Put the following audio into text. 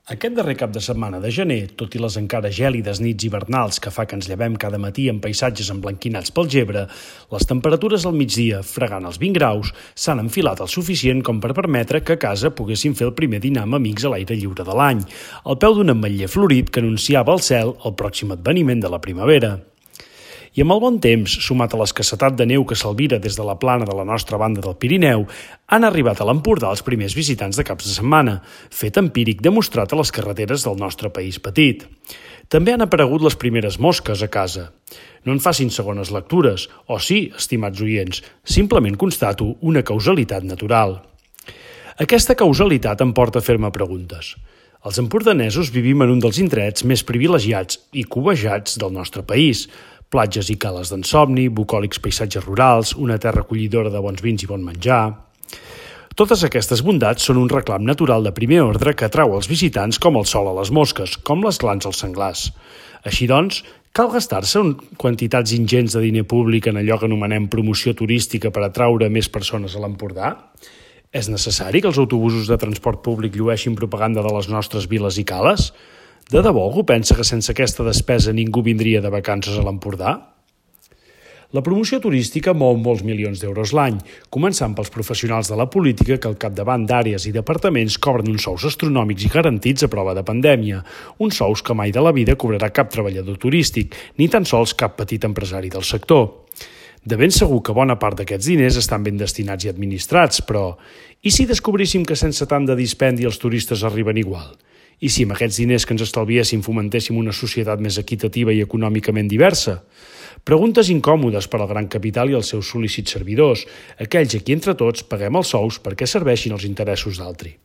Aquest darrer cap de setmana de gener, tot i les encara gèlides nits hivernals que fa que ens llevem cada matí en paisatges emblanquinats pel gebre, les temperatures al migdia, fregant els 20 graus, s'han enfilat el suficient com per permetre que a casa poguéssim fer el primer dinar amb amics a l'aire lliure de l'any, al peu d'un ametller florit que anunciava al cel el pròxim adveniment de la primavera. I amb el bon temps, sumat a l'escassetat de neu que s'albira des de la plana de la nostra banda del Pirineu, han arribat a l'Empordà els primers visitants de caps de setmana, fet empíric demostrat a les carreteres del nostre país petit. També han aparegut les primeres mosques a casa. No en facin segones lectures, o sí, estimats oients, simplement constato una causalitat natural. Aquesta causalitat em porta a fer-me preguntes. Els empordanesos vivim en un dels indrets més privilegiats i cobejats del nostre país, platges i cales d'ensomni, bucòlics paisatges rurals, una terra acollidora de bons vins i bon menjar. Totes aquestes bondats són un reclam natural de primer ordre que atrau els visitants com el sol a les mosques, com les glans als senglars. Així doncs, cal gastar-se quantitats ingents de diner públic en allò que anomenem promoció turística per atraure més persones a l'Empordà? És necessari que els autobusos de transport públic llueixin propaganda de les nostres viles i cales? De debò algú pensa que sense aquesta despesa ningú vindria de vacances a l'Empordà? La promoció turística mou molts milions d'euros l'any, començant pels professionals de la política que al capdavant d'àrees i departaments cobren uns sous astronòmics i garantits a prova de pandèmia, uns sous que mai de la vida cobrarà cap treballador turístic, ni tan sols cap petit empresari del sector. De ben segur que bona part d'aquests diners estan ben destinats i administrats, però i si descobríssim que sense tant de dispendi els turistes arriben igual? I si amb aquests diners que ens estalviéssim fomentéssim una societat més equitativa i econòmicament diversa? Preguntes incòmodes per al gran capital i els seus sol·lícits servidors, aquells a qui entre tots paguem els sous perquè serveixin els interessos d'altri.